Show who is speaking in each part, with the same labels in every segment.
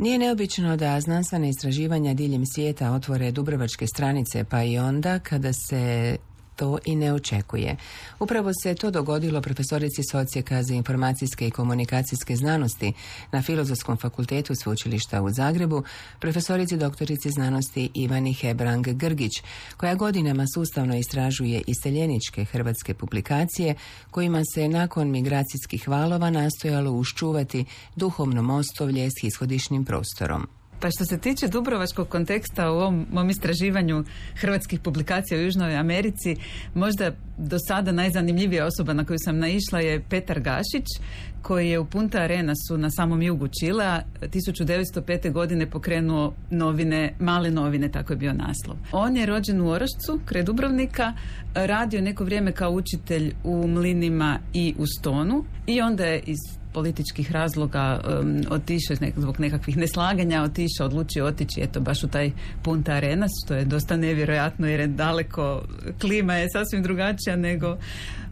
Speaker 1: Nije neobično da znanstvene istraživanja diljem svijeta otvore dubrovačke stranice, pa i onda kada se to i ne očekuje. Upravo se to dogodilo profesorici s Odsjeka za informacijske i komunikacijske znanosti na Filozofskom fakultetu Sveučilišta u Zagrebu, profesorici doktorici znanosti Ivani Hebrang-Grgić, koja godinama sustavno istražuje iseljeničke hrvatske publikacije kojima se nakon migracijskih valova nastojalo uščuvati duhovno mostovlje s ishodišnim prostorom.
Speaker 2: Pa što se tiče dubrovačkog konteksta u ovom mom istraživanju hrvatskih publikacija u Južnoj Americi, možda do sada najzanimljivija osoba na koju sam naišla je Petar Gašić, koji je u Punta Arenasu na samom jugu Čilea 1905. godine pokrenuo novine, Male novine, tako je bio naslov. On je rođen u Orašcu, kraj Dubrovnika, radio neko vrijeme kao učitelj u Mlinima i u Stonu i onda je iz političkih razloga otišao zbog nekakvih neslaganja, odlučio otići eto baš u taj Punta Arenas, što je dosta nevjerojatno jer je daleko, klima je sasvim drugačija nego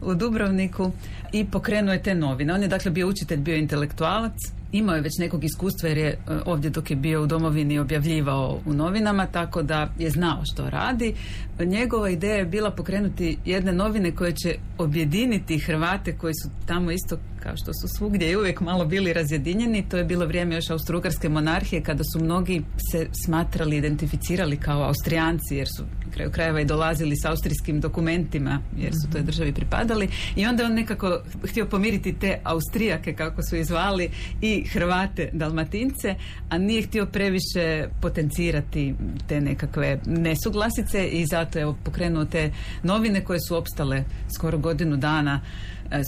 Speaker 2: u Dubrovniku, i pokrenuo je te novine. On je dakle bio učitelj, bio intelektualac, imao je već nekog iskustva jer je ovdje dok je bio u domovini objavljivao u novinama, tako da je znao što radi. Njegova ideja je bila pokrenuti jedne novine koje će objediniti Hrvate koji su tamo isto kao što su svugdje i uvijek malo bili razjedinjeni. To je bilo vrijeme još Austro-Ugarske monarhije kada su mnogi se smatrali, identificirali kao Austrijanci jer su na kraju krajeva i dolazili s austrijskim dokumentima jer su toj državi pripadali, i onda on nekako htio pomiriti te Austrijake kako su ih zvali i Hrvate Dalmatince, a nije htio previše potencirati te nekakve nesuglasice i zato je pokrenuo te novine koje su opstale skoro godinu dana,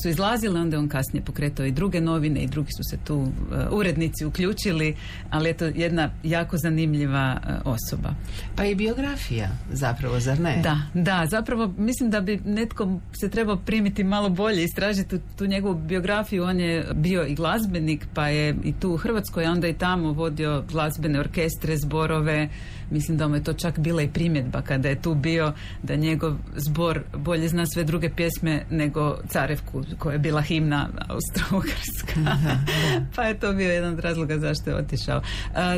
Speaker 2: su izlazile, onda on kasnije pokretao i druge novine i drugi su se tu urednici uključili, ali je to jedna jako zanimljiva osoba.
Speaker 1: Pa i biografija zapravo, zar ne?
Speaker 2: Da, zapravo mislim da bi netko se trebao primiti malo bolje, istražiti tu njegovu biografiju. On je bio i glazbenik, pa je i tu u Hrvatskoj, a onda i tamo vodio glazbene orkestre, zborove. Mislim da mu je to čak bila i primjedba kada je tu bio, da njegov zbor bolje zna sve druge pjesme nego Carevku, koja je bila himna Austro-Ugarska. Pa je to bio jedan od razloga zašto je otišao.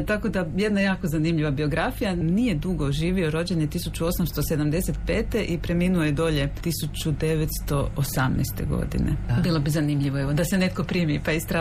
Speaker 2: Tako da jedna jako zanimljiva biografija. Nije dugo živio, rođen je 1875. i preminuo je dolje 1918. godine. Bilo bi zanimljivo da se netko primi pa istraži